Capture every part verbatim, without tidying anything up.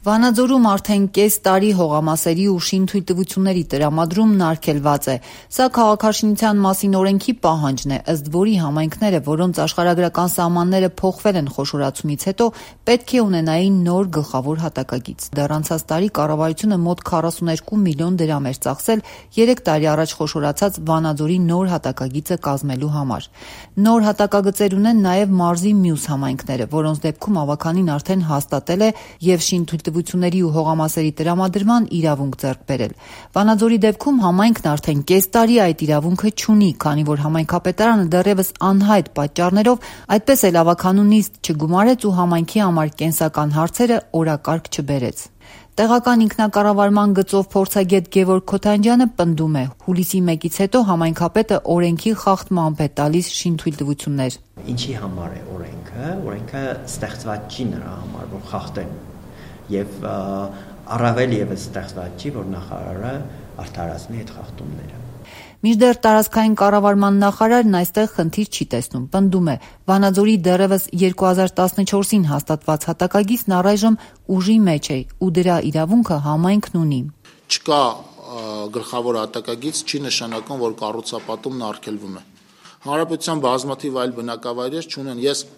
Վանաձորում արդեն կես տարի հողամասերի ու շինթույլտվությունների տրամադրումն արգելված է։ Սա քաղաքաշինության մասին օրենքի պահանջն է, ըստ որի համայնքները, որոնց աշխարհագրական սահմանները փոխվել են խոշորացումից հետո, պետք է ունենային նոր գլխավոր հատակագիծ։ Դեռ անցած տարի կառավարությունը մոտ քառասուներկու միլիոն դրամ էր ծախսել երեք տարի առաջ խոշորացած Վանաձորի նոր հատակագիծը կազմելու համար։ Նոր հատակագծեր ունեն նաև մարզի մյուս համայնքները, որոնց դեպքում ավականին արդեն հաստատել է և շինթույլտվությունների ու հողամասերի տրամադրման իրավունք ձեռք բերել։ Վանաձորի դեպքում համայնքն արդեն կես տարի այդ իրավունքը չունի, քանի որ համայնքապետարանը դեռևս անհայտ պատճառներով այդպես էլ ավականու նիստ չգումարեց ու համայնքի համար կենսական հարցերը օրակարգ չբերեց։ Տեղական ինքնակառավարման գծով փորձագետ Գևորգ Քոթանջյանը պնդում է՝ հուլիսի մեկից հետո համայնքապետը օրենքի խախտմամբ է տալիս շինթույլտվություններ։ Ինչի համար է օրենքը։ Օրենքը ստեղծված չի նրա համար, որ խախտեն, եւ առավել եւս ստեղծված չի, որ նախարարը արդարացնի այդ խախտումները։ Մինչդեռ տարածքային կառավարման նախարարն այստեղ խնդիր չի տեսնում, պնդում է՝ Վանաձորի դեռևս երկու հազար տասնչորսին հաստատված հատակագիծն առայժմ ուժի մեջ է ու դրա իրավունքը համայնքն ունի։ Չկա գլխավոր հատակագիծ, չի նշանակում, որ կառուցապատումն արգելվում է։ Հանրապետության բազմաթիվ այլ բնակավայրեր չունեն, ես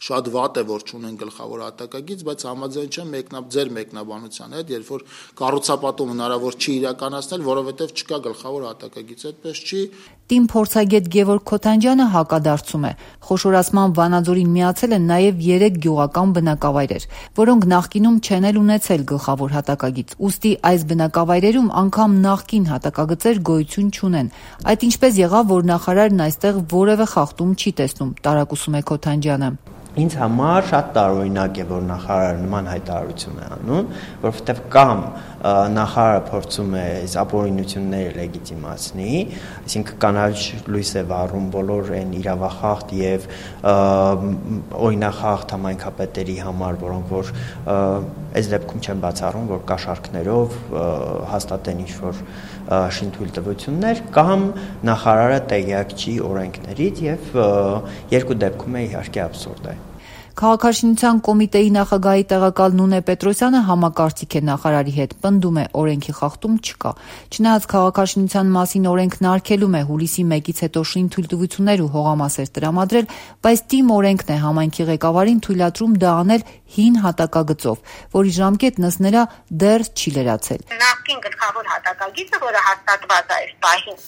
շատ վատ է, որ չունեն գլխավոր հատակագիծ, բայց համաձայն չեմ մեկնաբ ձեր մեկնաբանության հետ, երբ որ կառուցապատում հնարավոր չի իրականացնել, որովհետև չկա գլխավոր հատակագիծ, այդպես չի։ Տիմ փորձագետ Գևորգ Քոթանջյանը հակադարձում է։ Խոշորացման Վանաձորին միացել են նաև երեք գյուղական բնակավայրեր, որոնք նախկինում չեն էլ ունեցել գլխավոր հատակագիծ։ Ուստի այս բնակավայրերում անգամ նախկին հատակագծեր գոյություն չունեն։ Այդ ինչպես եղավ, որ նախարարն այստեղ որևէ խախտում չի տեսնում, տարակուսում է Քոթանջյանը։ Ինձ համար շատ տարօրինակ է, որ նախարարը նման հայտարարություն է անում, որովհետև կամ նախարարը փորձում է ապօրինությունները լեգիտիմացնի, այսինքն կանաչ լույս է վառում բոլոր այն իրավախախտ եւ օրինախախտ համայնքապետերի համար, որոնք որ այս դեպքում չեն բացառում, որ կաշառքներով հաստատեն ինչ-որ շինթույլտվություններ, կամ նախարարը տեղյակ չի օրենքներից եւ երկու դեպքում է իհարկե աբսուրդ է։ Քաղաքաշինության կոմիտեի նախագահի տեղակալ Նունե Պետրոսյանը համակարծիք է նախարարի հետ, պնդում է՝ օրենքի խախտում չկա։ Չնայած քաղաքաշինության մասին օրենքն արգելում է հուլիսի մեկից հետո շինթույլտվություններ ու հողամասեր տրամադրել, բայց Տիմ օրենքն է համայնքի ղեկավարին թույլատրում դա անել հին հատակագծով, որի ժամկետն ըստ նրա դեռ չի լրացել։ Նախկին գլխավոր հատակագիծը, որը հաստատված է այս պահին,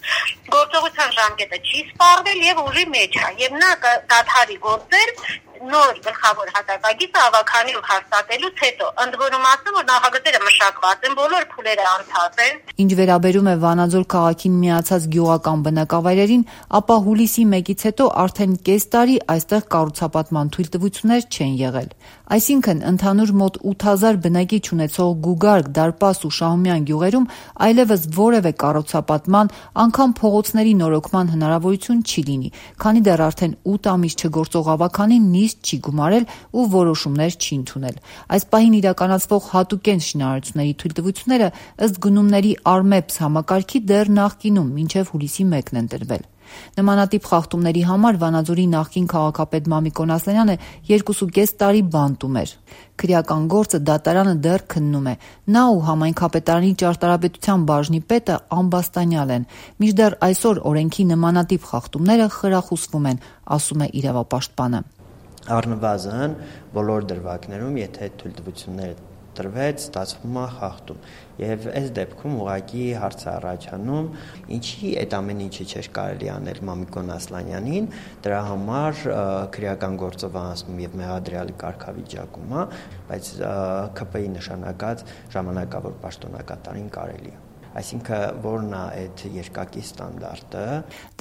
գործողության ժամկետը չի սպառվել եւ ուժի մեջ է, եւ նա դադարի գործել նոր գլխավոր հատակագիծը ավականին հաստատելուց հետո, ընդ որում ասեմ, որ նախագծերը մշակված են, բոլոր փուլերը անցած են։ Ինչ վերաբերում է Վանաձոր քաղաքին միացած գյուղական բնակավայրերին, ապա հուլիսի մեկից հետո արդեն կես տարի այստեղ կառուցապատման թույլտվություններ չեն եղել։ Այսինքն, ընդհանուր մոտ ութ հազար բնակիչ ունեցող Գուգարք, Դարպաս ու Շահումյան գյուղերում այլևս որևէ կառուցապատման, անգամ փողոցների նորոգման հնարավորություն չի լինի, քանի դեռ արդեն ութ ամիս չգործող ավականին նիստ չի գումարել ու որոշումներ չի ընդունել։ Այս պահին իրականացվող հատուկենտ շինարարությունների թույլտվությունները ըստ գնումների Արմեփս համակարգի դեռ նախկինում մինչև հուլիսի մեկն են տրվել։ Նմանատիպ խախտումների համար Վանաձորի նախկին քաղաքապետ Մամիկոն Ասլանյանը երկուսուկես տարի բանտում էր։ Քրեական գործը դատարանը դեռ քննում է։ Նա ու համայնքապետարանի ճարտարապետության բաժնի պետը Ամբաստանյալ են։ Մինչդեռ այսօր օրենքի նմանատիպ խախտումները խրախուսվում են, ասում է իրավապաշտպանը։ Առնվազն բոլոր դրվագներում, եթե թույլտվությունները տրվեց, ստացվում է խախտում։ Եվ այս դեպքում ուղղակի հարց է առաջանում, ինչի այդ ամեն ինչը չէր կարելի անել Մամիկոն Ասլանյանին, դրա համար քրեական գործով անցնում եւ մեղադրյալի կարգավիճակում է, բայց K P I նշանակած ժամանակավոր պաշտոնակատարին կարելի է։ Այսինքն որն է այդ երկակի ստանդարտը։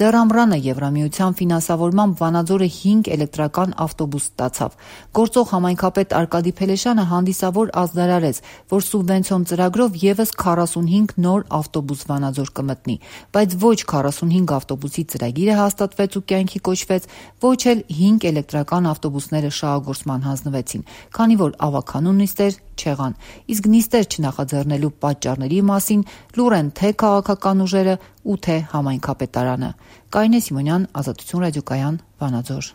Դեռ ամռանը Եվրամիության ֆինանսավորմամբ Վանաձորը հինգ էլեկտրական ավտոբուս ստացավ։ Գործող համայնքապետ Արկադի Փելեշյանը հանդիսավոր ազդարարեց, որ սուբվենցիոն ծրագրով եւս քառասունհինգ նոր ավտոբուս Վանաձոր կմտնի, բայց ոչ քառասունհինգ ավտոբուսի ծրագիրը հաստատվեց ու կյանքի կոչվեց, ոչ էլ հինգ էլեկտրական ավտոբուսները շահագործման հանձնվեցին, քանի որ ավականու նիստեր չեղան։ Իսկ նիստեր չնախաձեռնելու պատճառների մասին լուր են թե քաղաքական ուժերը ու թե համայնքապետարանը։ Կարինե Սիմոնյան, Ազատություն ռադիոկայան, Վանաձոր։